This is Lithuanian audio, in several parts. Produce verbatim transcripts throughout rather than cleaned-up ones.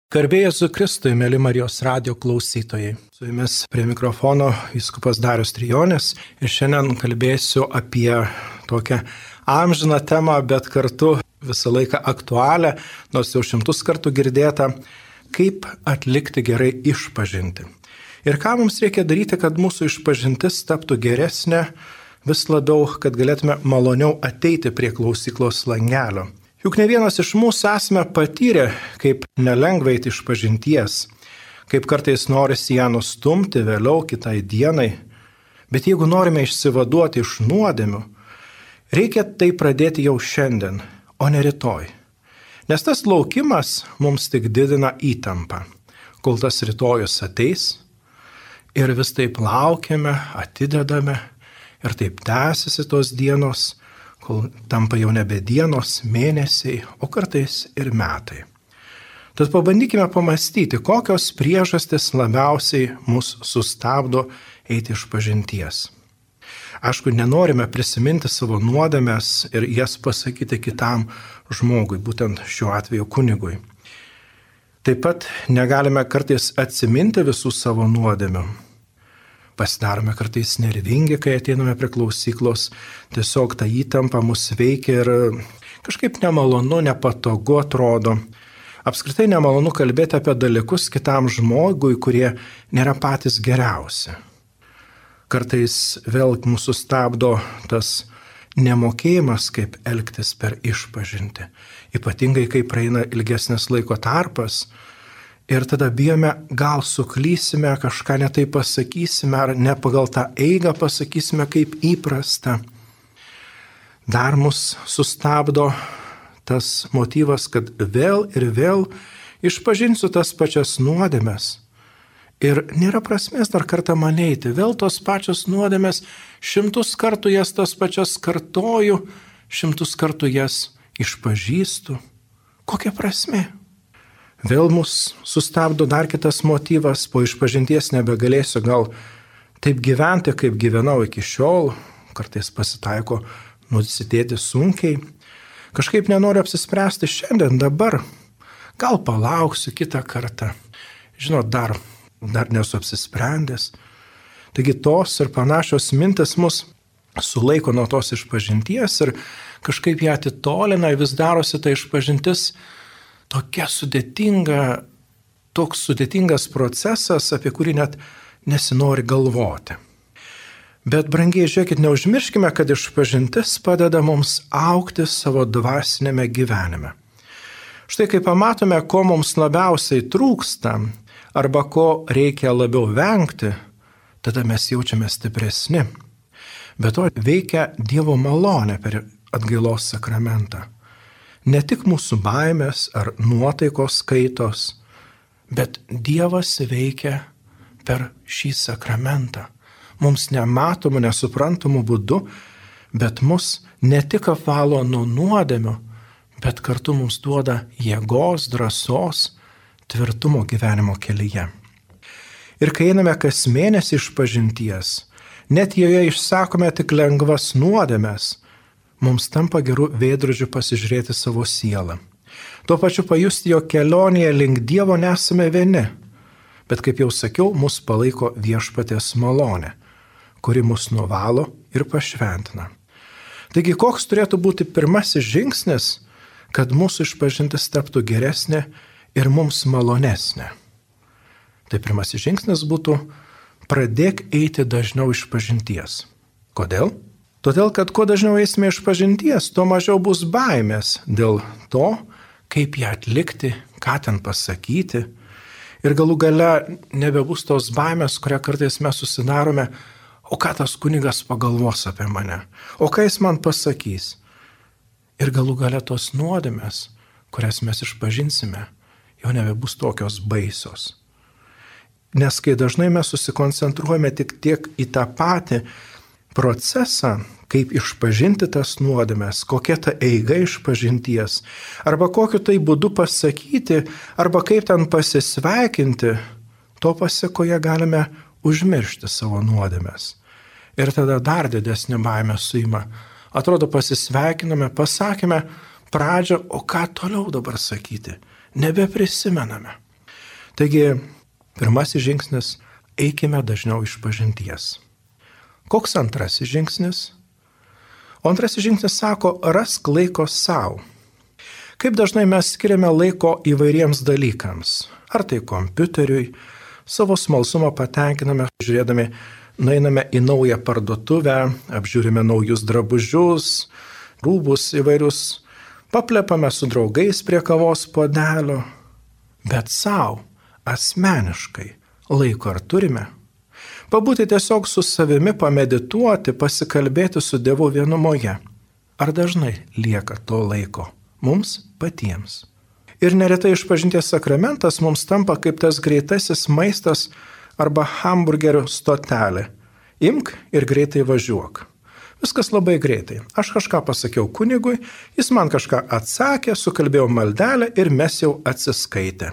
Garbė Jėzui Kristui, mėly Marijos radijo klausytojai. Su jumis prie mikrofono vyskupas Darius Trijonis ir šiandien kalbėsiu apie tokią amžiną temą, bet kartu visą laiką aktualią, nors jau šimtus kartų girdėtą, kaip atlikti gerai išpažintį. Ir ką mums reikia daryti, kad mūsų išpažintis taptų geresnė, vis labiau, kad galėtume maloniau ateiti prie klausyklos langelio. Juk ne vienas iš mūsų esame patyrę, kaip nelengva eiti išpažinties, kaip kartais norisi ją nustumti vėliau kitai dienai. Bet jeigu norime išsivaduoti iš nuodėmių, reikia tai pradėti jau šiandien, o ne rytoj. Nes tas laukimas mums tik didina įtampą, kol tas rytojus ateis ir vis taip laukiame, atidedame ir taip tęsiasi tos dienos, kol tampa jau nebe dienos, mėnesiai, o kartais ir metai. Tad pabandykime pamastyti, kokios priežastys labiausiai mus sustabdo eiti išpažinties. Aišku, nenorime prisiminti savo nuodėmes ir jas pasakyti kitam žmogui, būtent šiuo atveju kunigui. Taip pat negalime kartais atsiminti visų savo nuodėmių. Pasidarome kartais nervingi, kai ateiname prie klausyklos, tiesiog ta įtampa mus veikia ir kažkaip nemalonu, nepatogu atrodo. Apskritai nemalonu kalbėti apie dalykus kitam žmogui, kurie nėra patys geriausi. Kartais vėl mūsų stabdo tas nemokėjimas, kaip elgtis per išpažintį. Ypatingai, kai praeina ilgesnis laiko tarpas, ir tada bijome, gal suklysime, kažką netai pasakysime, ar ne pagal tą eigą pasakysime kaip įprasta. Dar mus sustabdo tas motyvas, kad vėl ir vėl išpažinsiu tas pačias nuodėmes. Ir nėra prasmės dar kartą man eiti, vėl tos pačios nuodėmes, šimtus kartų jas tas pačias kartoju, šimtus kartų jas išpažįstu. Kokia prasmė? Vėl mus sustabdo dar kitas motyvas, po išpažinties nebegalėsiu gal taip gyventi, kaip gyvenau iki šiol, kartais pasitaiko nusitėti sunkiai, kažkaip nenoriu apsispręsti šiandien, dabar, gal palauksiu kitą kartą, žinot, dar, dar nesu apsisprendęs. Taigi tos ir panašios mintis mus sulaiko nuo tos išpažinties ir kažkaip ją atitolina, vis darosi ta išpažintis tokia sudėtinga, toks sudėtingas procesas, apie kurį net nesinori galvoti. Bet, brangiai, žiūrėkit, neužmirškime, kad išpažintis padeda mums augti savo dvasinėme gyvenime. Štai kai pamatome, ko mums labiausiai trūksta, arba ko reikia labiau vengti, tada mes jaučiame stipresni. Be to veikia Dievo malonė per atgailos sakramentą. Ne tik mūsų baimės ar nuotaikos kaitos, bet Dievas veikia per šį sakramentą. Mums nematomų, nesuprantamų būdų, bet mus ne tik apvalo nuo nuodėmių, bet kartu mums duoda jėgos, drąsos, tvirtumo gyvenimo kelyje. Ir kai einame kas mėnesį išpažinties, net joje išsakome tik lengvas nuodėmes, mums tampa gerų veidrodžių pasižiūrėti savo sielą. Tuo pačiu pajusti, jo kelionėje link Dievo nesame vieni, bet kaip jau sakiau, mus palaiko viešpaties malonė, kuri mus nuvalo ir pašventina. Taigi, koks turėtų būti pirmasis žingsnis, kad mūsų išpažintis taptų geresnė ir mums malonesnė? Tai pirmasis žingsnis būtų pradėk eiti dažniau išpažinties. Kodėl? Todėl, kad kuo dažniau eisime išpažinties, tuo mažiau bus baimės dėl to, kaip ją atlikti, ką ten pasakyti. Ir galų gale nebebus tos baimės, kurią kartais mes susidarome, o ką tas kunigas pagalvos apie mane, o ką jis man pasakys. Ir galų gale tos nuodėmės, kurias mes išpažinsime, jau nebebus tokios baisios. Nes kai dažnai mes susikoncentruojame tik tiek į tą patį procesą, kaip išpažinti tas nuodėmes, kokia ta eiga išpažinties, arba kokiu tai būdu pasakyti, arba kaip ten pasisveikinti, to pasiekoje galime užmiršti savo nuodėmes. Ir tada dar didesnė baimė suima. Atrodo, pasisveikiname, pasakėme pradžią, o ką toliau dabar sakyti? Nebeprisimename. Taigi, pirmasis žingsnis – eikime dažniau išpažinties. Koks antrasis žingsnis? O antrasis žingsnis sako, rask laiko savo. Kaip dažnai mes skiriame laiko įvairiems dalykams. Ar tai kompiuteriui, savo smalsumą patenkiname, žiūrėdami, nueiname į naują parduotuvę, apžiūrime naujus drabužius, rūbus įvairius, paplepame su draugais prie kavos puodelio. Bet savo, asmeniškai, laiko ar turime? Pabūti tiesiog su savimi, pamedituoti, pasikalbėti su Dievu vienumoje. Ar dažnai lieka to laiko mums patiems? Ir neretai išpažinties sakramentas mums tampa kaip tas greitasis maistas arba hamburgerio stotelė. Imk ir greitai važiuok. Viskas labai greitai. Aš kažką pasakiau kunigui, jis man kažką atsakė, sukalbėjau maldelę ir mes jau atsiskaitė.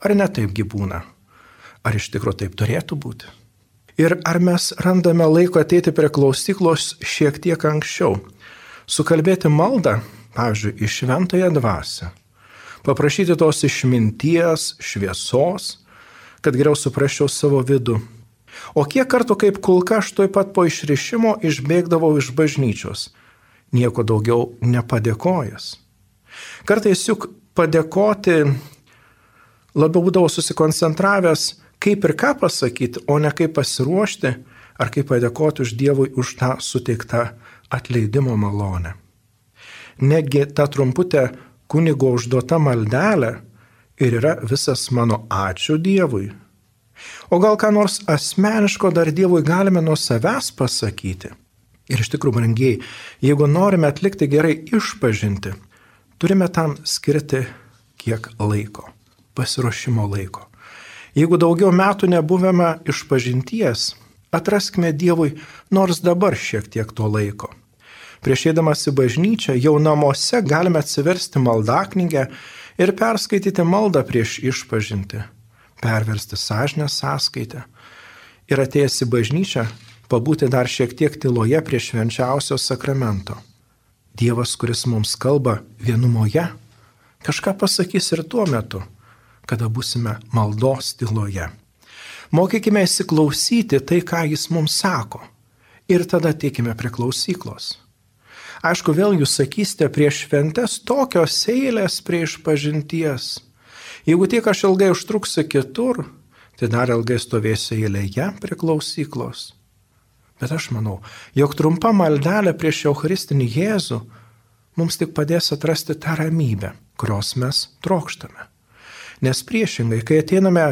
Ar ne taipgi būna? Ar iš tikrųjų taip turėtų būti? Ir ar mes randame laiko ateiti prie klausyklos šiek tiek anksčiau? Sukalbėti maldą, pavyzdžiui, į šventąją dvasią. Paprašyti tos išminties, šviesos, kad geriau suprasčiau savo vidų. O kiek kartų kaip kulka aš tuoj pat po išrišimo išbėgdavau iš bažnyčios, nieko daugiau nepadėkojęs. Kartais juk padėkoti labiau būdavau susikoncentravęs, kaip ir ką pasakyti, o ne kaip pasiruošti, ar kaip padėkoti už Dievui už tą suteiktą atleidimo malonę. Negi ta trumputė kunigo užduota maldelė ir yra visas mano ačiū Dievui. O gal ką nors asmeniško dar Dievui galime nuo savęs pasakyti? Ir iš tikrųjų, brangiai, jeigu norime atlikti gerai išpažinti, turime tam skirti kiek laiko, pasiruošimo laiko. Jeigu daugiau metų nebuvome išpažinties, atraskime Dievui nors dabar šiek tiek to laiko. Prieš eidamas į bažnyčią, jau namuose galime atsiversti maldaknygę ir perskaityti maldą prieš išpažinti, perversti sąžinės sąskaitę ir atėjęs į bažnyčią, pabūti dar šiek tiek tyloje prie švenčiausio sakramento. Dievas, kuris mums kalba vienumoje, kažką pasakys ir tuo metu, kada būsime maldos tyloje. Mokykime įsiklausyti tai, ką jis mums sako, ir tada ateikime prie klausyklos. Aišku, vėl jūs sakysite, prieš šventes tokios eilės prie išpažinties. Jeigu tiek aš ilgai užtruksiu kitur, tai dar ilgai stovėsiu eilėje prie klausyklos. Bet aš manau, jog trumpa maldelė prieš Eucharistinį Jėzų mums tik padės atrasti tą ramybę, kurios mes trokštame. Nes priešingai, kai ateiname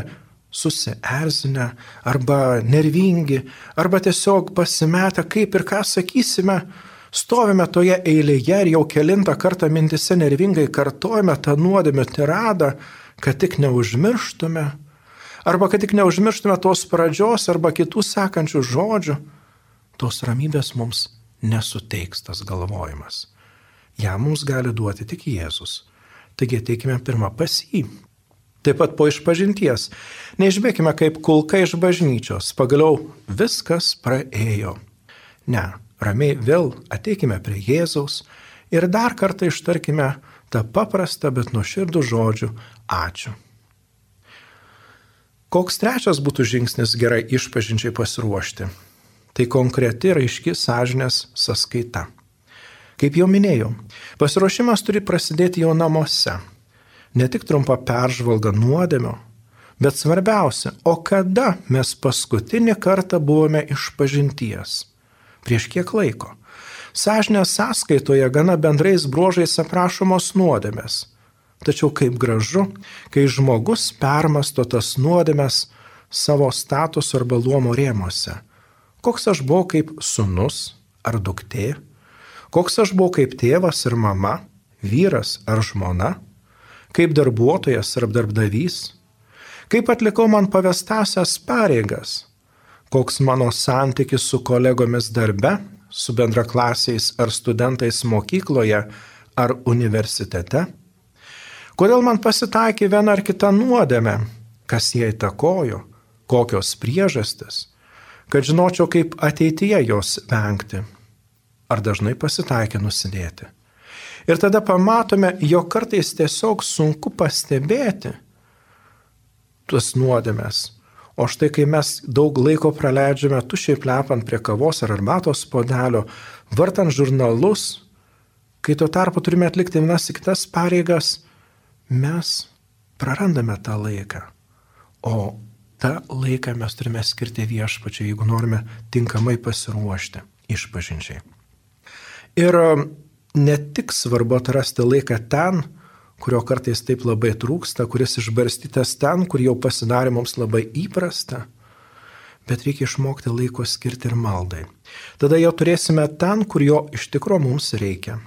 susierzinę arba nervingi, arba tiesiog pasimetę, kaip ir ką sakysime, stovime toje eilėje ir jau kelintą kartą mintise nervingai kartojame tą nuodėmę tiradą, kad tik neužmirštume, arba kad tik neužmirštume tos pradžios arba kitų sekančių žodžių, tos ramybės mums nesuteiks tas galvojimas. Ja mums gali duoti tik Jėzus. Taigi ateikime pirmą pas jį. Taip pat po išpažinties. Neišbėkime kaip kulka iš bažnyčios. Pagaliau viskas praėjo. Ne. Ramiai vėl ateikime prie Jėzaus ir dar kartą ištarkime tą paprastą, bet nuoširdų žodžių ačiū. Koks trečias būtų žingsnis gerai išpažinčiai pasiruošti? Tai konkreti ir aiški sąžinės sąskaita. Kaip jau minėjau, pasiruošimas turi prasidėti jau namuose. Ne tik trumpa peržvalga nuodėmio, bet svarbiausia, o kada mes paskutinį kartą buvome išpažinties? Prieš kiek laiko? Sąžinės sąskaitoje gana bendrais bruožais aprašomos nuodėmės. Tačiau kaip gražu, kai žmogus permasto tas nuodėmės savo statuso arba luomo rėmuose. Koks aš buvau kaip sūnus ar duktė? Koks aš buvau kaip tėvas ir mama, vyras ar žmona? Kaip darbuotojas ar darbdavys? Kaip atlikau man pavestąsias pareigas? Koks mano santykis su kolegomis darbe, su bendraklasiais ar studentais mokykloje ar universitete? Kodėl man pasitaikė viena ar kita nuodėmė? Kas ją įtakojo? Kokios priežastis? Kad žinočiau, kaip ateityje jos vengti. Ar dažnai pasitaikė nusidėti? Ir tada pamatome, jog kartais tiesiog sunku pastebėti tuos nuodėmes. O štai kai mes daug laiko praleidžiame tušiai plepant prie kavos ar arbatos puodelio, vartant žurnalus, kai tuo tarpu turime atlikti vienas į kitas pareigas, mes prarandame tą laiką. O tą laiką mes turime skirti viešpačiui, jeigu norime tinkamai pasiruošti išpažinčiai. Ir ne tik svarbu atrasti laiką ten, kurio kartais taip labai trūksta, kuris išbarstytas ten, kur jau pasidarė mums labai įprasta, bet reikia išmokti laiko skirti ir maldai. Tada jau turėsime ten, kur jo iš tikro mums reikia.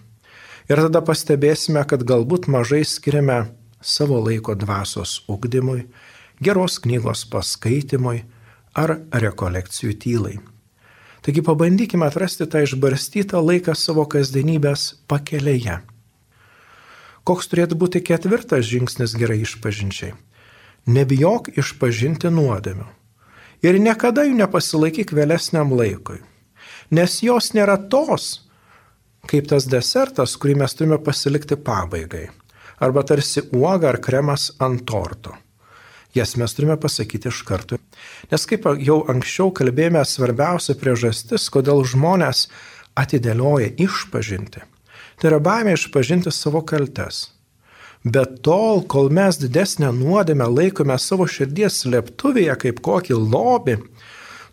Ir tada pastebėsime, kad galbūt mažai skiriame savo laiko dvasios ugdymui, geros knygos paskaitimui ar rekolekcijų tylai. Taigi pabandykime atrasti tą išbarstytą laiką savo kasdienybės pakelėje. Koks turėtų būti ketvirtas žingsnis gerai išpažinčiai? Nebijok išpažinti nuodėmių. Ir niekada jų nepasilaikyk vėlesniam laikui. Nes jos nėra tos, kaip tas desertas, kurį mes turime pasilikti pabaigai. Arba tarsi uoga ar kremas ant torto. Jas mes turime pasakyti iš karto. Nes kaip jau anksčiau kalbėjome, svarbiausia priežastis, kodėl žmonės atidėlioja išpažinti. Tai yra baimė išpažinti savo kaltes. Bet tol, kol mes didesnę nuodėmę laikome savo širdies slėptuvėje kaip kokį lobį,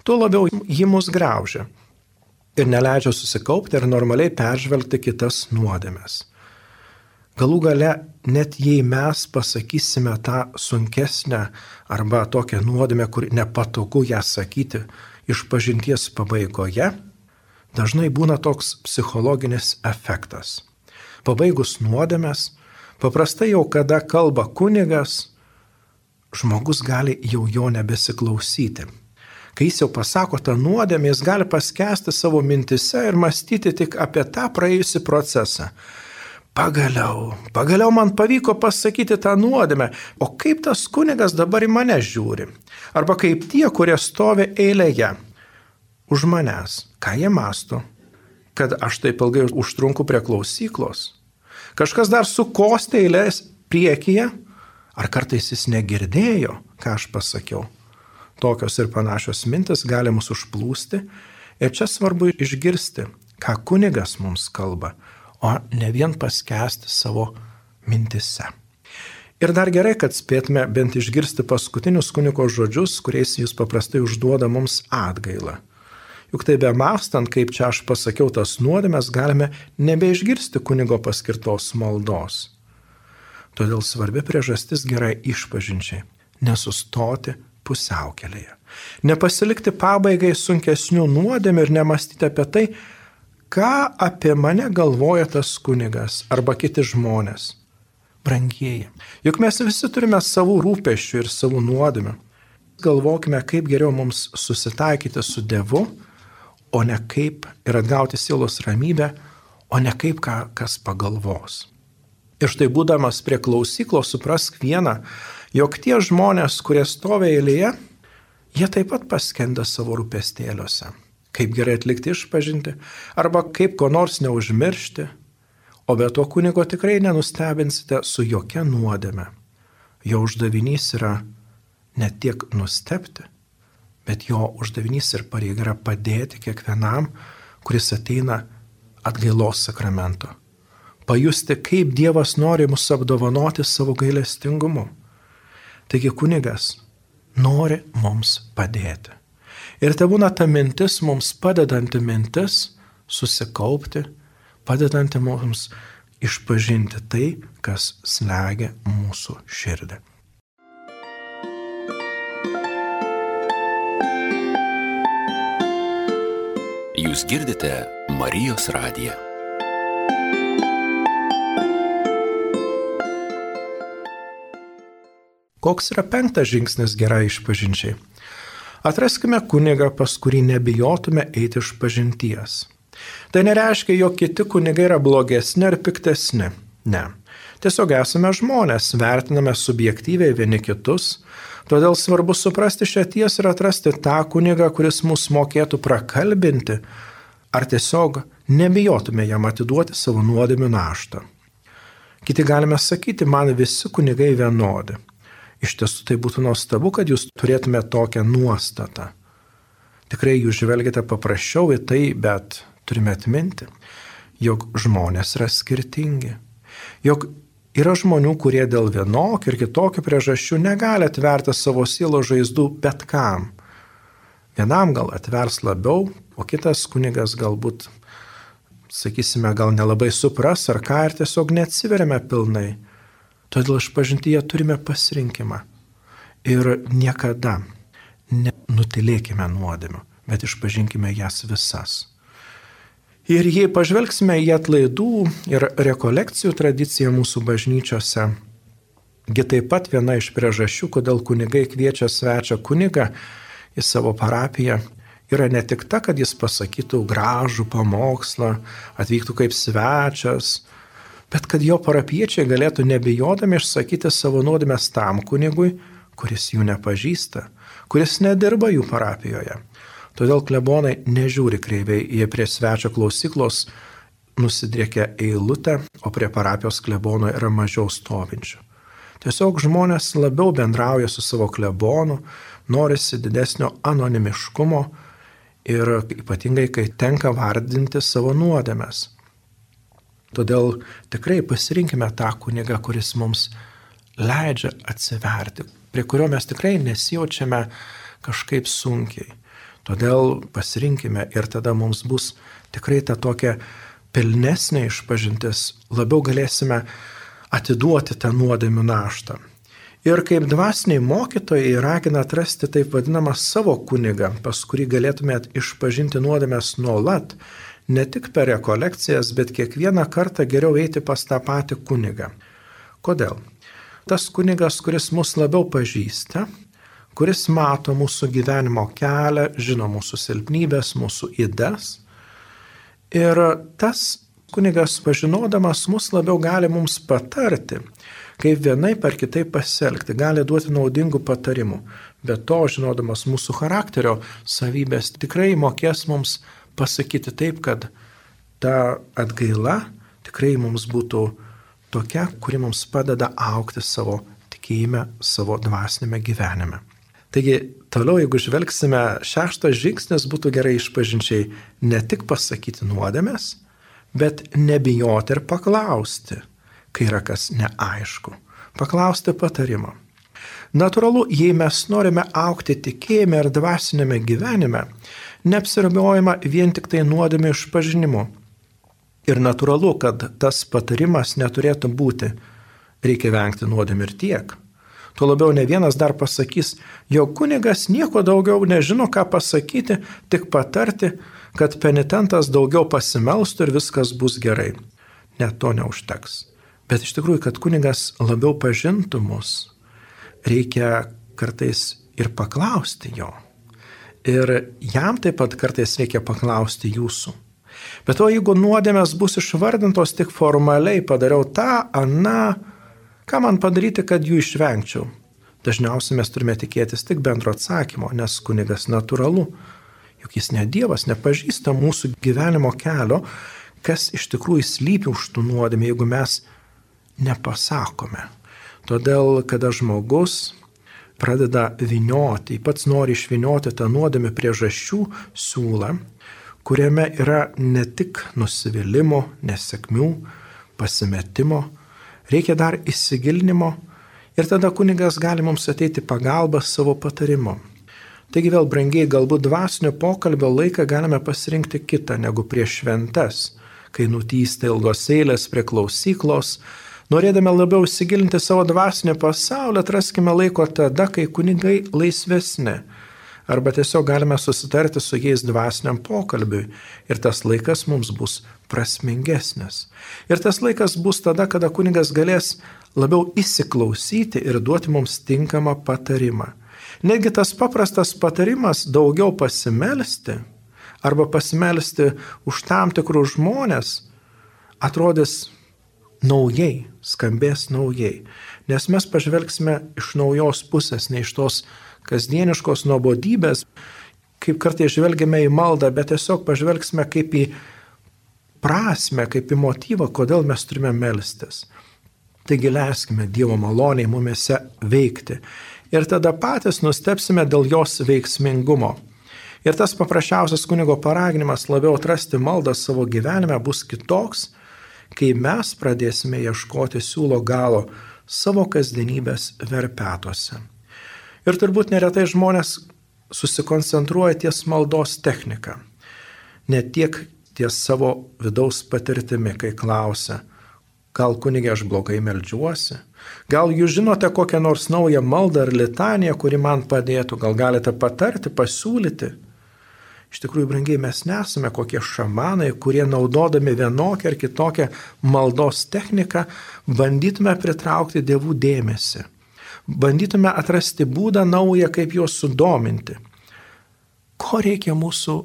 tuo labiau ji mus graužia ir neleidžia susikaupti ir normaliai peržvelgti kitas nuodėmes. Galų gale, net jei mes pasakysime tą sunkesnę arba tokią nuodėmę, kur nepatogu ją sakyti išpažinties pabaigoje, dažnai būna toks psichologinis efektas. Pabaigus nuodėmes, paprastai jau kada kalba kunigas, žmogus gali jau jo nebesiklausyti. Kai jis jau pasako tą nuodėmę, jis gali paskęsti savo mintise ir mąstyti tik apie tą praėjusį procesą. Pagaliau, pagaliau man pavyko pasakyti tą nuodėmę, o kaip tas kunigas dabar į mane žiūri? Arba kaip tie, kurie stovi eilėje už manęs, ką jie mąsto, kad aš taip ilgai užtrunku prie klausyklos. Kažkas dar sukosti eilės priekyje, ar kartais jis negirdėjo, ką aš pasakiau. Tokios ir panašios mintis gali mus užplūsti ir čia svarbu išgirsti, ką kunigas mums kalba, o ne vien paskęsti savo mintise. Ir dar gerai, kad spėtume bent išgirsti paskutinius kunigo žodžius, kuriais jis paprastai užduoda mums atgailą. Juk tai be mąstant, kaip čia aš pasakiau tas nuodėmes, galime nebeišgirsti kunigo paskirtos maldos. Todėl svarbi priežastis gerai išpažinčiai – nesustoti pusiaukelėje. Nepasilikti pabaigai sunkesnių nuodėmių ir nemąstyti apie tai, ką apie mane galvoja tas kunigas arba kiti žmonės. Brangieji, juk mes visi turime savų rūpesčių ir savų nuodėmių. Galvokime, kaip geriau mums susitaikyti su Dievu, o ne kaip ir atgauti sielos ramybę, o ne kaip ką, kas pagalvos. Ir štai būdamas prie klausyklos suprask vieną, jog tie žmonės, kurie stovi eilėje, jie taip pat paskenda savo rūpestėliuose. Kaip gerai atlikti išpažinti, arba kaip ko nors neužmiršti, o be to kunigo tikrai nenustebinsite su jokia nuodėme. Jo uždavinys yra ne tiek nustebti, bet jo uždavinys ir pareiga yra padėti kiekvienam, kuris ateina atgailos sakramento. Pajusti, kaip Dievas nori mus apdovanoti savo gailestingumu. Taigi kunigas nori mums padėti. Ir tai būna ta mintis mums padedanti mintis susikaupti, padedanti mums išpažinti tai, kas slegia mūsų širdį. Jūs girdite Marijos radiją. Koks yra penktas žingsnis gerai išpažinčiai? Atraskime kunigą, pas kurį nebijotume eiti išpažinties. Tai nereiškia, jog kiti kunigai yra blogesni ar piktesni. Ne. Tiesiog esame žmonės, vertiname subjektyviai vieni kitus, todėl svarbu suprasti šią tiesą ir atrasti tą kunigą, kuris mus mokėtų prakalbinti, ar tiesiog nebijotume jam atiduoti savo nuodėmių naštą. Kiti galime sakyti, man visi kunigai vienodi. Iš tiesų tai būtų nuostabu, kad jūs turėtume tokią nuostatą. Tikrai jūs žvelgiate paprasčiau į tai, bet turime atminti, jog žmonės yra skirtingi. Jog yra žmonių, kurie dėl vienokių ir kitokių priežasčių negali atverti savo sielos žaizdų bet kam. Vienam gal atvers labiau, o kitas kunigas galbūt, sakysime, gal nelabai supras ar ką ir tiesiog neatsiveriame pilnai. Todėl išpažintyje turime pasirinkimą. Ir niekada nenutilėkime nuodėmių, bet išpažinkime jas visas. Ir jei pažvelgsime į atlaidų ir rekolekcijų tradiciją mūsų bažnyčiose, gi taip pat viena iš priežasčių, kodėl kunigai kviečia svečią kunigą į savo parapiją, yra ne tik ta, kad jis pasakytų gražų pamokslą, atvyktų kaip svečias, bet kad jo parapiečiai galėtų nebijodami išsakyti savo nuodėmes tam kunigui, kuris jų nepažįsta, kuris nedirba jų parapijoje. Todėl klebonai nežiūri kreiviai, jie prie svečio klausyklos nusidriekia eilutę, o prie parapijos klebono yra mažiau stovinčių. Tiesiog žmonės labiau bendrauja su savo klebonu, norisi didesnio anonimiškumo ir ypatingai, kai tenka vardinti savo nuodėmes. Todėl tikrai pasirinkime tą kunigą, kuris mums leidžia atsiverti, prie kurio mes tikrai nesijaučiame kažkaip sunkiai. Todėl pasirinkime ir tada mums bus tikrai ta tokia pilnesnė išpažintis, labiau galėsime atiduoti tą nuodėmių naštą. Ir kaip dvasiniai mokytojai ragina atrasti taip vadinamą savo kunigą, pas kurį galėtumėt išpažinti nuodėmes nuolat, ne tik per rekolekcijas, bet kiekvieną kartą geriau eiti pas tą patį kunigą. Kodėl? Tas kunigas, kuris mus labiau pažįsta, kuris mato mūsų gyvenimo kelią, žino mūsų silpnybės, mūsų ydas. Ir tas kunigas, pažinodamas mus, labiau gali mums patarti, kaip vienaip ar kitaip pasielgti, gali duoti naudingų patarimų. Be to, žinodamas mūsų charakterio savybės, tikrai mokės mums pasakyti taip, kad ta atgaila tikrai mums būtų tokia, kuri mums padeda augti savo tikėjime, savo dvasinėme gyvenime. Taigi, toliau, jeigu žvelgsime, šeštas žingsnis būtų gerai išpažinčiai ne tik pasakyti nuodėmes, bet nebijoti ir paklausti, kai yra kas neaišku. Paklausti patarimo. Natūralu, jei mes norime augti tikėjime ir dvasinėme gyvenime, neapsiribojama vien tik tai nuodėmių išpažinimu. Ir natūralu, kad tas patarimas neturėtų būti, reikia vengti nuodėmių ir tiek. Tuo labiau ne vienas dar pasakys, jog kunigas nieko daugiau nežino, ką pasakyti, tik patarti, kad penitentas daugiau pasimelstų ir viskas bus gerai. Net to neužteks. Bet iš tikrųjų, kad kunigas labiau pažintų mus, reikia kartais ir paklausti jo. Ir jam taip pat kartais reikia paklausti jūsų. Bet o jeigu nuodėmės bus išvardintos tik formaliai, padariau tą, aną, ką man padaryti, kad jų išvengčiau? Dažniausiai mes turime tikėtis tik bendro atsakymo, nes kunigas natūralu, juk jis ne Dievas, nepažįsta mūsų gyvenimo kelio, kas iš tikrųjų slypi už tų nuodėmė, jeigu mes nepasakome. Todėl, kada žmogus pradeda vynioti, pats nori išvynioti tą nuodėmę priežasčių siūlą, kuriame yra ne tik nusivylimų, nesėkmių, pasimetimo, reikia dar įsigilinimo ir tada kunigas gali mums ateiti pagalbą savo patarimu. Taigi vėl brangiai, galbūt dvasinio pokalbio laiką galime pasirinkti kitą negu prieš šventes, kai nutysta ilgos eilės prie klausyklos. Norėdami labiau įsigilinti savo dvasinį pasaulį, atraskime laiko tada, kai kunigai laisvesni. Arba tiesiog galime susitarti su jais dvasiniam pokalbiui ir tas laikas mums bus prasmingesnis. Ir tas laikas bus tada, kada kunigas galės labiau įsiklausyti ir duoti mums tinkamą patarimą. Netgi tas paprastas patarimas daugiau pasimelsti arba pasimelsti už tam tikrus žmonės atrodys naujai, skambės naujai. Nes mes pažvelgsime iš naujos pusės, ne iš tos kasdieniškos nuobodybės, kaip kartais žvelgiame į maldą, bet tiesiog pažvelgsime kaip į prasmę, kaip į motyvą, kodėl mes turime melstis. Taigi leiskime Dievo maloniai mumėse veikti ir tada patys nustebsime dėl jos veiksmingumo. Ir tas paprasčiausias kunigo paraginimas labiau atrasti maldą savo gyvenime bus kitoks, kai mes pradėsime ieškoti siūlo galo savo kasdienybės verpetuose. Ir turbūt neretai žmonės susikoncentruoja ties maldos technika, ne tiek ties savo vidaus patirtimi, kai klausia, gal kunigė aš blogai meldžiuosi, gal jūs žinote kokią nors naują maldą ar litaniją, kuri man padėtų, gal galite patarti, pasiūlyti. Iš tikrųjų, brangiai, mes nesame kokie šamanai, kurie naudodami vienokią ar kitokią maldos techniką bandytume pritraukti dievų dėmesį. Bandytume atrasti būdą naują, kaip juos sudominti. Ko reikia mūsų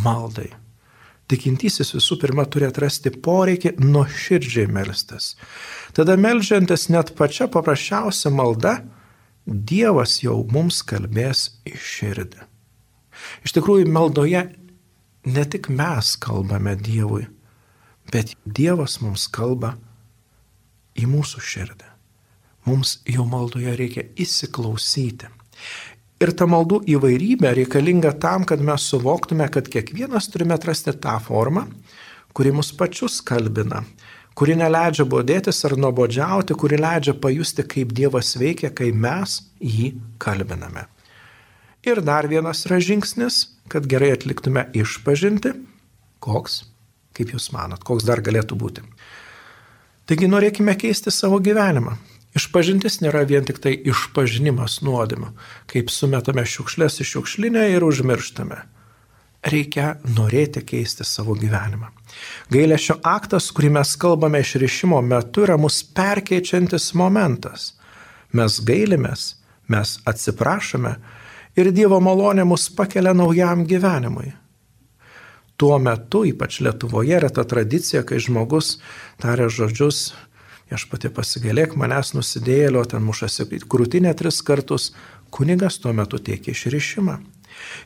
maldai? Tikintysis visų pirma turi atrasti poreikį nuoširdžiai melstis. Tada meldžiantis net pačia paprasčiausia malda, Dievas jau mums kalbės į širdį. Iš tikrųjų, maldoje ne tik mes kalbame Dievui, bet Dievas mums kalba į mūsų širdį. Mums jau maldoje reikia įsiklausyti. Ir ta maldų įvairybė reikalinga tam, kad mes suvoktume, kad kiekvienas turime atrasti tą formą, kuri mus pačius kalbina, kuri neleidžia bodėtis ar nuobodžiauti, kuri leidžia pajusti, kaip Dievas veikia, kai mes jį kalbiname. Ir dar vienas yra žingsnis, kad gerai atliktume išpažinti. Koks? Kaip jūs manot, koks dar galėtų būti? Taigi norėkime keisti savo gyvenimą. Išpažintis nėra vien tik tai išpažinimas nuodėmių, kaip sumetame šiukšlės į šiukšlinę ir užmirštame. Reikia norėti keisti savo gyvenimą. Gailesčio aktas, kurį mes kalbame išrišimo metu, yra mus perkeičiantis momentas. Mes gailimės, mes atsiprašome ir Dievo malonė mus pakelia naujam gyvenimui. Tuo metu, ypač Lietuvoje, yra ta tradicija, kai žmogus taria žodžius, viešpatie pasigailėk manęs nusidėjėlio, ten mušasi krūtinę tris kartus, kunigas tuo metu teikia išrišimą.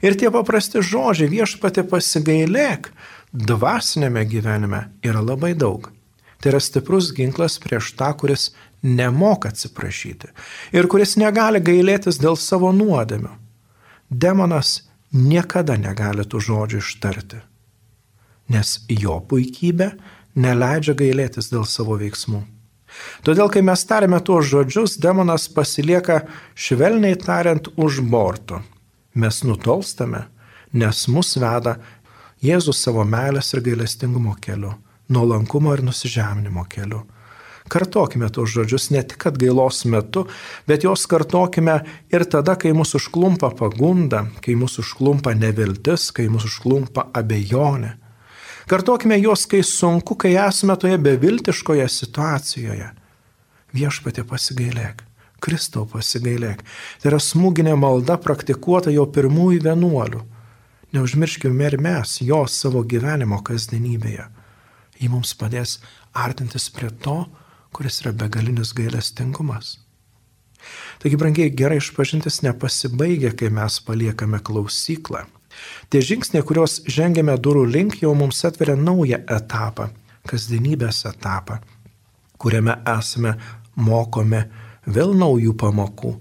Ir tie paprasti žodžiai, viešpatie pasigailėk, dvasinėme gyvenime yra labai daug. Tai yra stiprus ginklas prieš tą, kuris nemoka atsiprašyti ir kuris negali gailėtis dėl savo nuodėmių. Demonas niekada negali tų žodžių ištarti, nes jo puikybė neleidžia gailėtis dėl savo veiksmų. Todėl, kai mes tariame tuos žodžius, demonas pasilieka švelniai tariant už borto. Mes nutolstame, nes mus veda Jėzus savo meilės ir gailestingumo keliu, nuolankumo ir nusižeminimo keliu. Kartokime tuos žodžius ne tik atgailos metu, bet juos kartokime ir tada, kai mūsų užklumpa pagunda, kai mūsų užklumpa neviltis, kai mūsų užklumpa abejonė. Kartokime juos, kai sunku, kai esame toje beviltiškoje situacijoje. Viešpatie pasigailėk, Kristau pasigailėk. Tai yra smūginė malda praktikuota jau pirmųjų vienuolių. Neužmirškime ir mes jo savo gyvenimo kasdienybėje. Jį mums padės artintis prie to, kuris yra begalinis gailestingumas. Taigi, brangiai, gerai išpažintis nepasibaigia, kai mes paliekame klausyklą. Tie žingsniai, kuriuos žengėme durų link, jau mums atveria naują etapą, kasdienybės etapą, kuriame esame mokomi vėl naujų pamokų,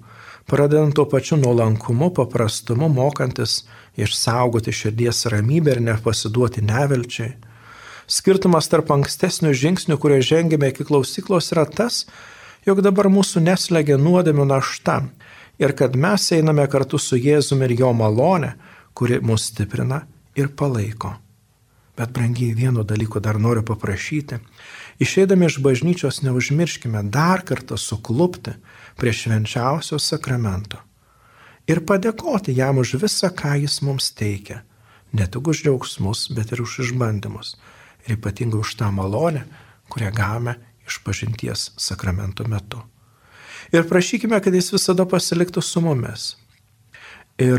pradedant tuo pačiu nuolankumu, paprastumu, mokantis išsaugoti širdies ramybę ir nepasiduoti nevilčiai. Skirtumas tarp ankstesnių žingsnių, kurie žengėme iki klausyklos, yra tas, jog dabar mūsų neslegia nuodėmių našta ir kad mes einame kartu su Jėzumi ir jo malone, kuri mus stiprina ir palaiko. Bet, brangiai, vieno dalyko dar noriu paprašyti. Išeidami iš bažnyčios neužmirškime dar kartą suklupti prie švenčiausio sakramento ir padėkoti jam už visą, ką jis mums teikia. Ne tik už džiaugsmus, bet ir už išbandymus. Ir ypatingai už tą malonę, kurią gavome išpažinties sakramento metu. Ir prašykime, kad jis visada pasiliktų su mumis. Ir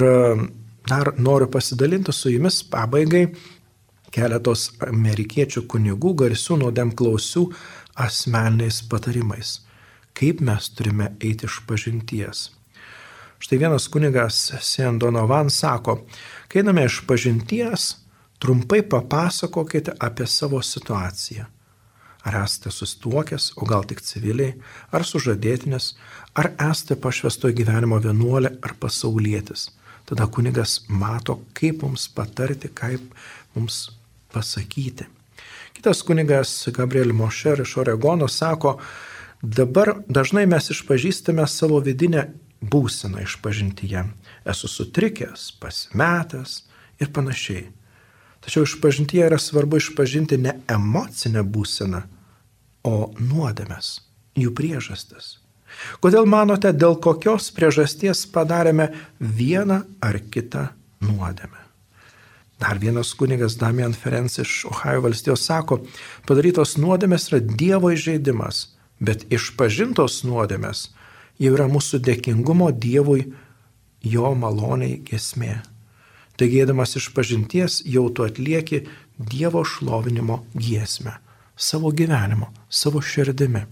dar noriu pasidalinti su jumis pabaigai keletos amerikiečių kunigų garsių nuodėmklausių asmeniniais patarimais. Kaip mes turime eiti išpažinties. Štai vienas kunigas Sean Donovan sako, kai einame išpažinties, trumpai papasakokite apie savo situaciją. Ar esate susituokęs, o gal tik civiliai, ar sužadėtinis, ar esate pašvęstojo gyvenimo vienuolė ar pasaulietis. Tada kunigas mato, kaip mums patarti, kaip mums pasakyti. Kitas kunigas Gabriel Mosher iš Oregono sako, dabar dažnai mes išpažįstame savo vidinę būseną išpažintyje. Esu sutrikęs, pasimetęs ir panašiai. Tačiau išpažintyje yra svarbu išpažinti ne emocinę būseną, o nuodėmes, jų priežastis. Kodėl manote, dėl kokios priežasties padarėme vieną ar kitą nuodėmę? Dar vienas kunigas Damian Ferenc iš Ohajo valstijos sako, padarytos nuodėmės yra Dievo įžeidimas, bet išpažintos nuodėmės jau yra mūsų dėkingumo Dievui jo maloniai giesmė. Taigi, eidamas išpažinties, jau tu atlieki Dievo šlovinimo giesmę, savo gyvenimo, savo širdimi.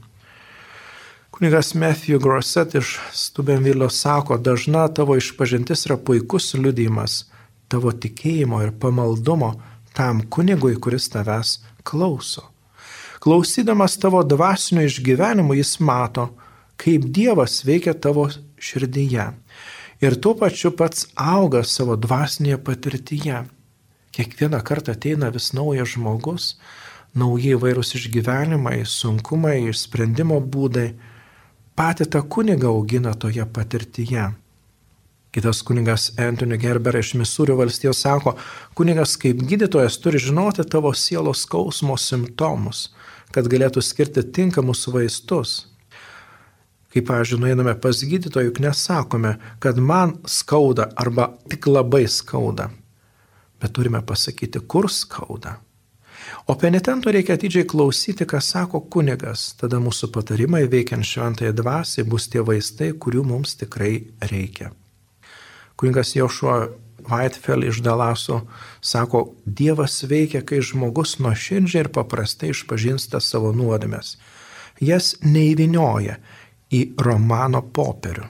Kunigas Matthew Grosset iš Steubenville sako, dažna tavo išpažintis yra puikus liudijimas tavo tikėjimo ir pamaldumo tam kunigui, kuris tavęs klauso. Klausydamas tavo dvasinių išgyvenimų, jis mato, kaip Dievas veikia tavo širdyje ir tuo pačiu pats auga savo dvasinėje patirtyje. Kiekvieną kartą ateina vis naujas žmogus, nauji įvairūs išgyvenimai, sunkumai, išsprendimo būdai. Patį tą kunigą augina toje patirtyje. Kitas kunigas Anthony Gerber iš Misūrio valstijos sako, kunigas kaip gydytojas turi žinoti tavo sielos skausmo simptomus, kad galėtų skirti tinkamus vaistus. Kaip, pavyzdžiui, nueiname pas gydytoją, juk nesakome, kad man skauda arba tik labai skauda, bet turime pasakyti, kur skauda. O penitento reikia atidžiai klausyti, ką sako kunigas, tada mūsų patarimai veikiant šventąją dvasiai bus tie vaistai, kurių mums tikrai reikia. Kunigas Joshua Whitefeld iš Dalaso sako, Dievas veikia, kai žmogus nuoširdžiai ir paprastai išpažįsta savo nuodėmes. Jas neįvynioja į romano popierių.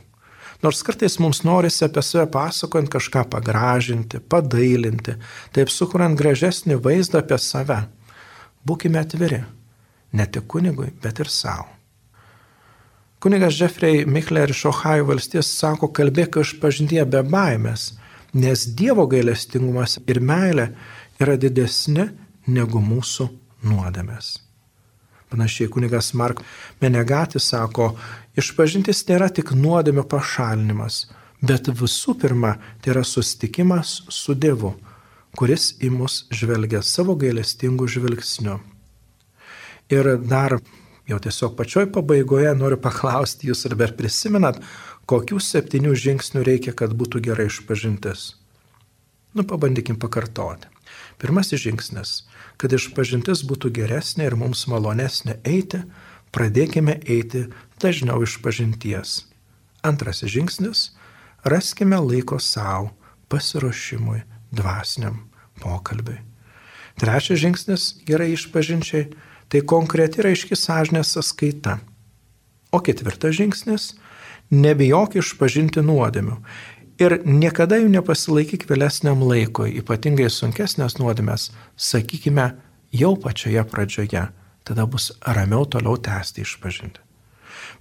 Nors kartais mums norisi apie save pasakojant kažką pagražinti, padailinti, taip sukuriant gražesnį vaizdą apie save. Būkime atviri, ne tik kunigui, bet ir savo. Kunigas Jeffrey Michler iš Ohajo valstijos sako, kalbėk išpažintyje be baimės, nes Dievo gailestingumas ir meilė yra didesni negu mūsų nuodėmės. Panašiai kunigas Mark Menegati sako, išpažintis nėra tik nuodėmio pašalinimas, bet visų pirma, tai yra susitikimas su Dievu, kuris į mus žvelgia savo gailestingų žvilgsniu. Ir dar jau tiesiog pačioj pabaigoje noriu paklausti jūs, ar dar prisimenat, kokių septynių žingsnių reikia, kad būtų gerai išpažintis. Nu, pabandykim pakartoti. Pirmasis žingsnis, kad išpažintis būtų geresnė ir mums malonesnė eiti, pradėkime eiti dažniau išpažinties. Antrasis žingsnis, raskime laiko savo pasiruošimui, dvasiniam pokalbiui. Trečias žingsnis gerai išpažinčiai, tai konkreti ir aiški sąžinės sąskaita. O ketvirtas žingsnis, nebijok išpažinti nuodėmių. Ir niekada jų nepasilaikyk vėlesniam laikui, ypatingai sunkesnės nuodėmės, sakykime, jau pačioje pradžioje, tada bus ramiau toliau tęsti išpažinti.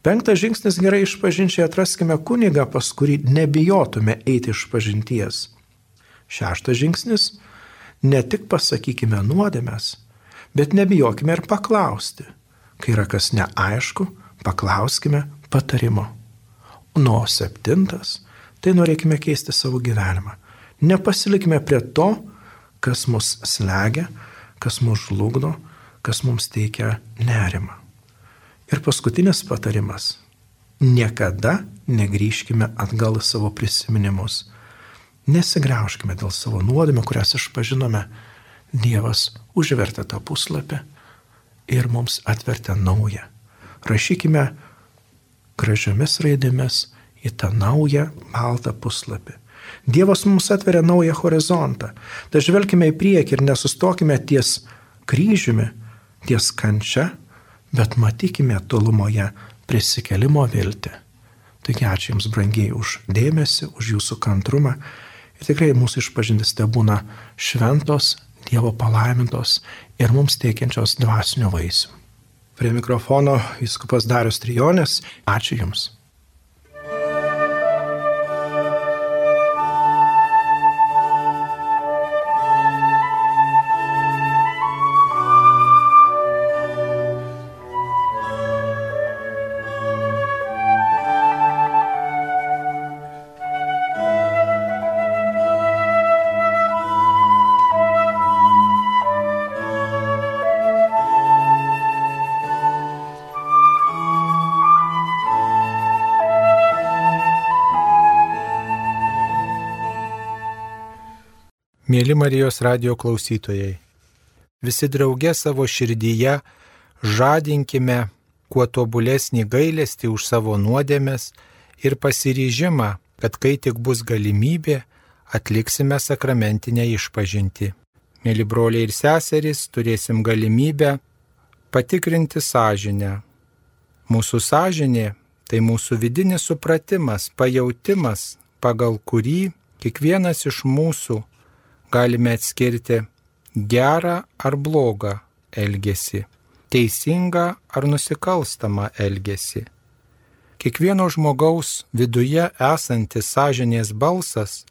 Penktas žingsnis gerai išpažinčiai, atraskime kunigą, pas kurį nebijotume eiti išpažinties. Šeštas žingsnis, ne tik pasakykime nuodėmės, bet nebijokime ir paklausti. Kai yra kas neaišku, paklauskime patarimo. Nu, o septintas, tai norėkime keisti savo gyvenimą. Nepasilikime prie to, kas mus slegia, kas mus žlugdo, kas mums teikia nerimą. Ir paskutinis patarimas. Niekada negrįžkime atgal į savo prisiminimus. Nesigraužkime dėl savo nuodėmių, kurias išpažinome. Dievas užvertė tą puslapį ir mums atvertė naują. Rašykime gražiomis raidėmis į tą naują baltą puslapį. Dievas mums atveria naują horizontą. Tai žvelkime į priekį ir nesustokime ties kryžiumi, ties kančia, bet matykime tolumoje prisikėlimo viltį. Taigi ačiū Jums, brangiai, už dėmesį, už Jūsų kantrumą. Ir tikrai mūsų išpažintis tebūna šventos, Dievo palaimintos ir mums teikiančios dvasinių vaisių. Prie mikrofono vyskupas Darius Trijonis. Ačiū Jums. Mėly Marijos radijo klausytojai, visi drauge savo širdyje žadinkime kuo tobulesnį gailestį už savo nuodėmes ir pasiryžimą, kad kai tik bus galimybė, atliksime sakramentinę išpažintį. Mėly broliai ir seserys, turėsim galimybę patikrinti sąžinę. Mūsų sąžinė – tai mūsų vidinis supratimas, pajautimas, pagal kurį kiekvienas iš mūsų galime atskirti gerą ar blogą elgesį, teisingą ar nusikalstamą elgesį. Kiekvieno žmogaus viduje esantis sąžinės balsas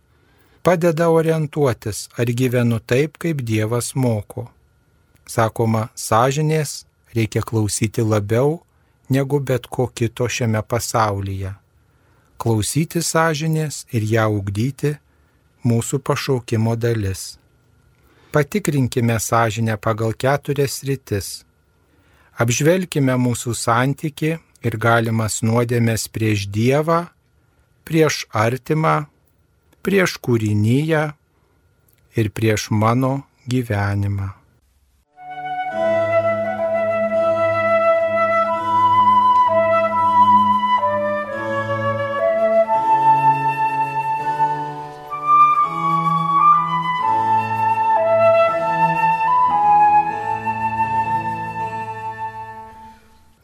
padeda orientuotis, ar gyvenu taip, kaip Dievas moko. Sakoma, sąžinės reikia klausyti labiau negu bet ko kito šiame pasaulyje. Klausyti sąžinės ir ją ugdyti mūsų pašaukimo dalis. Patikrinkime sąžinę pagal keturias sritis. Apžvelkime mūsų santykį ir galimas nuodėmes prieš Dievą, prieš artimą, prieš kūriniją ir prieš mano gyvenimą.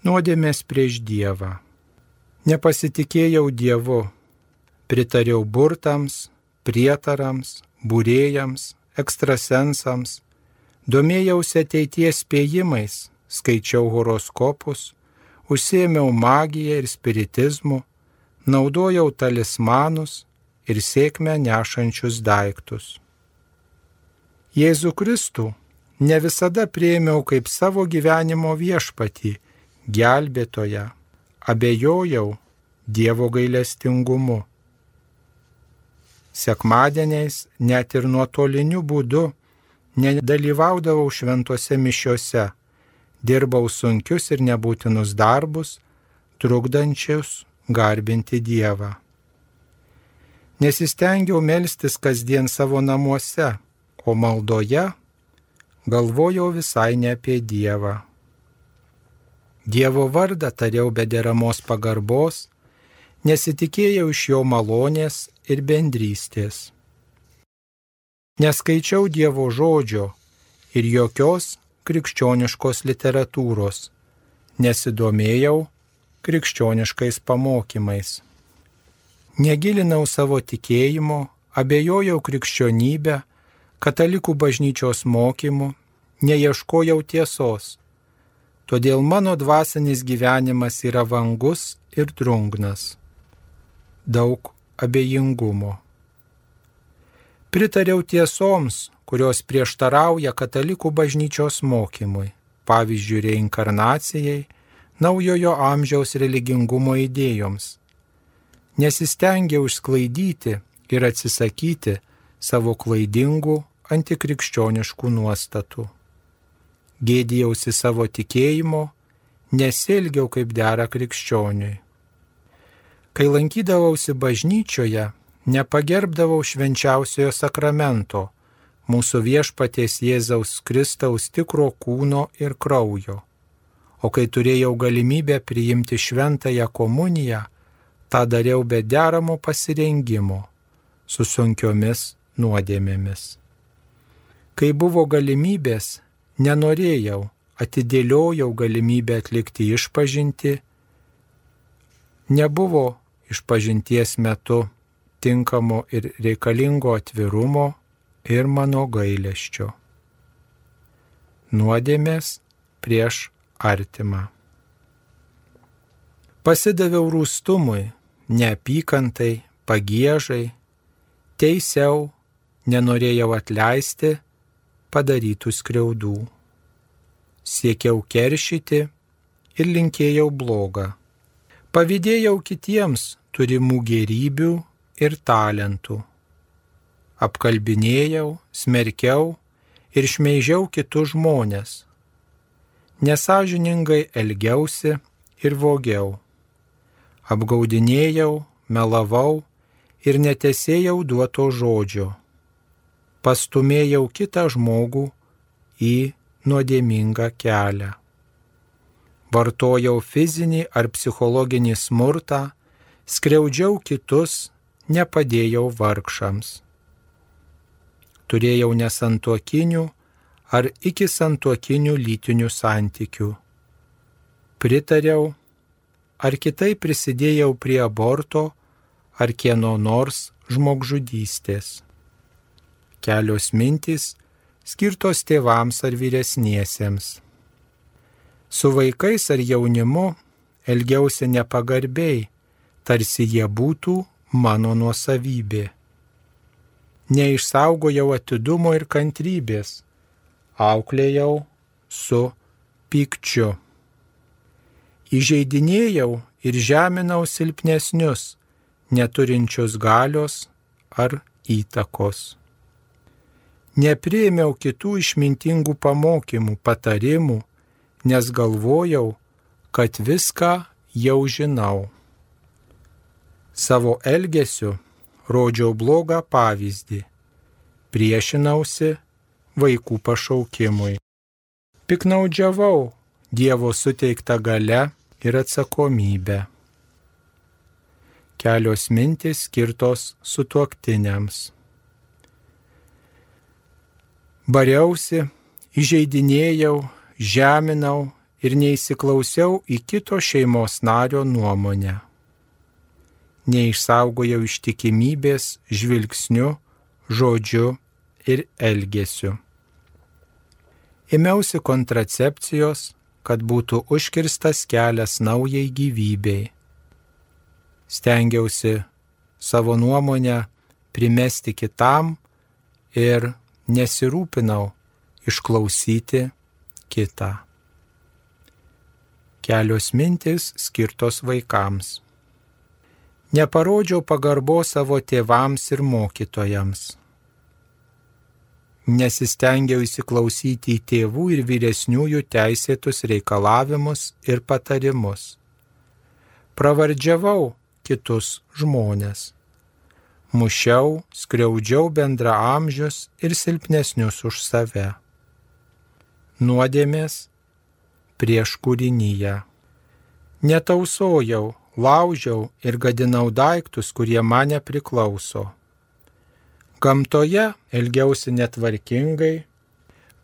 Nuodėmės prieš Dievą. Nepasitikėjau Dievu, pritariau burtams, prietarams, būrėjams, ekstrasensams, domėjausi ateities spėjimais, skaičiau horoskopus, užsiėmiau magiją ir spiritizmu, naudojau talismanus ir sėkmę nešančius daiktus. Jėzų Kristų ne visada priėmiau kaip savo gyvenimo viešpatį, gelbėtoją, abejojau Dievo gailestingumu. Sekmadieniais net ir nuotoliniu būdu nedalyvaudavau šventose mišiose, dirbau sunkius ir nebūtinus darbus, trukdančius garbinti Dievą. Nesistengiau melstis kasdien savo namuose, o maldoje galvojau visai ne apie Dievą. Dievo vardą tariau be deramos pagarbos, nesitikėjau iš jo malonės ir bendrystės. Neskaičiau Dievo žodžio ir jokios krikščioniškos literatūros, nesidomėjau krikščioniškais pamokymais. Negilinau savo tikėjimo, abejojau krikščionybę, katalikų bažnyčios mokymų, neieškojau tiesos. Todėl mano dvasinis gyvenimas yra vangus ir drungnas. Daug abejingumo. Pritariau tiesoms, kurios prieštarauja katalikų bažnyčios mokymui, pavyzdžiui, reinkarnacijai, naujojo amžiaus religingumo idėjoms. Nesistengiau išsklaidyti ir atsisakyti savo klaidingų antikrikščioniškų nuostatų. Gėdijausi savo tikėjimo, nesielgiau kaip dera krikščioniui. Kai lankydavausi bažnyčioje, nepagerbdavau švenčiausiojo sakramento, mūsų viešpaties Jėzaus Kristaus tikro kūno ir kraujo. O kai turėjau galimybę priimti šventąją komuniją, tą dariau be deramo pasirengimo, su sunkiomis nuodėmėmis. Kai buvo galimybės, nenorėjau, atidėliojau galimybę atlikti išpažintį, nebuvo išpažinties metu tinkamo ir reikalingo atvirumo ir mano gailesčio. Nuodėmės prieš artimą. Pasidaviau rūstumui, neapykantai, pagiežai, teisiau, nenorėjau atleisti padarytų skriaudų. Siekiau keršyti ir linkėjau blogą. Pavydėjau kitiems turimų gėrybių ir talentų. Apkalbinėjau, smerkiau ir šmeižiau kitus žmones. Nesąžiningai elgiausi ir vogiau. Apgaudinėjau, melavau ir netesėjau duoto žodžio. Pastumėjau kitą žmogų į nuodėmingą kelią. Vartojau fizinį ar psichologinį smurtą, skriaudžiau kitus, nepadėjau vargšams. Turėjau nesantuokinių ar iki santuokinių lytinių santykių. Pritariau ar kitaip prisidėjau prie aborto ar kieno nors žmogžudystės. Kelios mintys skirtos tėvams ar vyresniesiems. Su vaikais ar jaunimu elgiausi nepagarbiai, tarsi jie būtų mano nuosavybė. Neišsaugojau atidumo ir kantrybės, auklėjau su pykčiu. Įžeidinėjau ir žeminau silpnesnius, neturinčius galios ar įtakos. Nepriėmiau kitų išmintingų pamokymų, patarimų, nes galvojau, kad viską jau žinau. Savo elgesiu rodžiau blogą pavyzdį, priešinausi vaikų pašaukimui. Piknaudžiavau Dievo suteiktą galią ir atsakomybę. Kelios mintys skirtos sutuoktiniams. Bariausi, įžeidinėjau, žeminau ir neįsiklausiau į kito šeimos nario nuomonę. Neišsaugojau ištikimybės žvilgsniu, žodžiu ir elgesiu. Ėmiausi kontracepcijos, kad būtų užkirstas kelias naujai gyvybei. Stengiausi savo nuomonę primesti kitam ir nesirūpinau išklausyti kitą. Kelios mintys skirtos vaikams. Neparodžiau pagarbos savo tėvams ir mokytojams. Nesistengiau įsiklausyti į tėvų ir vyresniųjų teisėtus reikalavimus ir patarimus. Pravardžiavau kitus žmones. Mušiau, skriaudžiau bendraamžius ir silpnesnius už save. Nuodėmės prieš kūrinyje. Netausojau, laužiau ir gadinau daiktus, kurie man nepriklauso. Gamtoje elgiausi netvarkingai,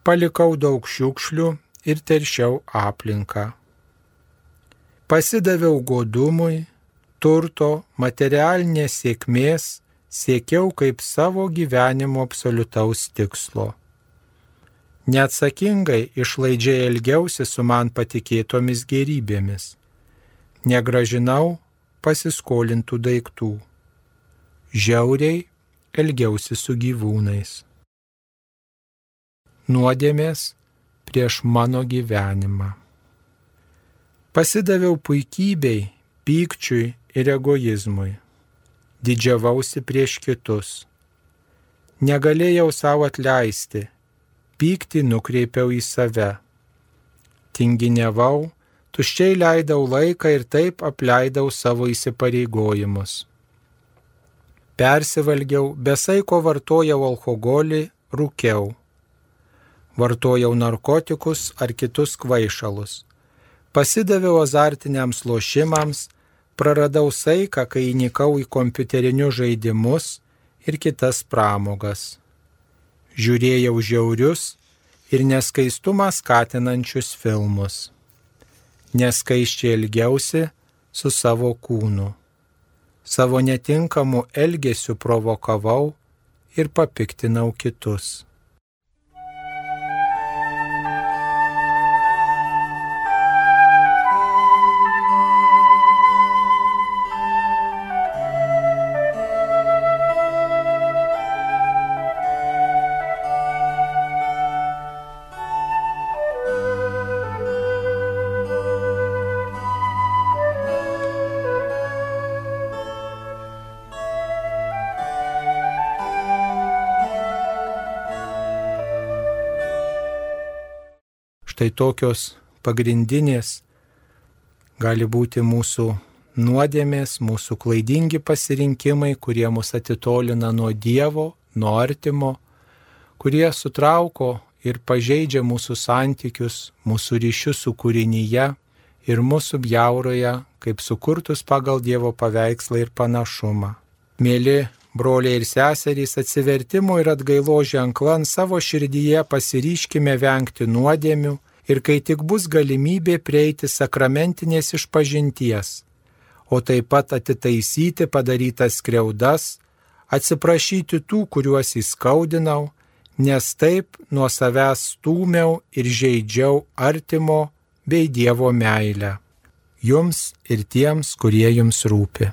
palikau daug šiukšlių ir teršiau aplinką. Pasidaviau godumui, turto, materialinės sėkmės, siekiau kaip savo gyvenimo absoliutaus tikslo. Neatsakingai išlaidžiai elgiausi su man patikėtomis gėrybėmis. Negražinau pasiskolintų daiktų. Žiauriai elgiausi su gyvūnais. Nuodėmės prieš mano gyvenimą. Pasidaviau puikybei, pykčiui ir egoizmui. Didžiavausi prieš kitus. Negalėjau savo atleisti, pyktį nukreipiau į save. Tinginiavau, tuščiai leidau laiką ir taip apleidau savo įsipareigojimus. Persivalgiau, besaiko vartojau alkoholį, rūkiau. Vartojau narkotikus ar kitus kvaišalus. Pasidaviau azartiniams lošimams, praradau saiką, kai įnikau į kompiuterinius žaidimus ir kitas pramogas. Žiūrėjau žiaurius ir neskaistumą skatinančius filmus. Neskaiščiai elgiausi su savo kūnu. Savo netinkamu elgesiu provokavau ir papiktinau kitus. Štai tokios pagrindinės gali būti mūsų nuodėmės, mūsų klaidingi pasirinkimai, kurie mus atitolina nuo Dievo, nuo artimo, kurie sutrauko ir pažeidžia mūsų santykius, mūsų ryšius su kūrinyje ir mūsų bjauroja kaip sukurtus pagal Dievo paveikslą ir panašumą. Mėly broliai ir seserys, atsivertimo ir atgailo ženklą ant savo širdyje pasiryškime vengti nuodėmių ir kai tik bus galimybė prieiti sakramentinės išpažinties, o taip pat atitaisyti padarytas skriaudas, atsiprašyti tų, kuriuos įskaudinau, nes taip nuo savęs stūmiau ir žeidžiau artimo bei Dievo meilę. Jums ir tiems, kurie jums rūpi.